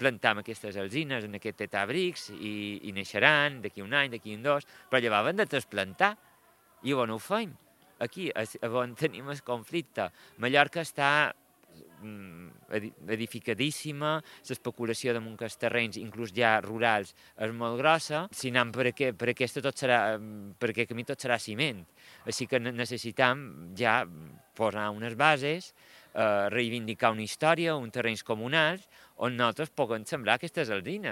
plantam aquestes alzines en aquest etabrics i naixeran d'aquí un any, d'aquí un dos, però llavors hem de trasplantar. I on ho feim? Aquí, on tenim el conflicte. Mallorca està edificadíssima, l'especulació damunt els terrenys, inclús ja rurals, és molt grossa. Si anem per aquest camí tot serà ciment. Així que necessitam ja posar unes bases, reivindicar una història, uns terrenys comunals, on nosaltres puguem sembrar aquestes alzines.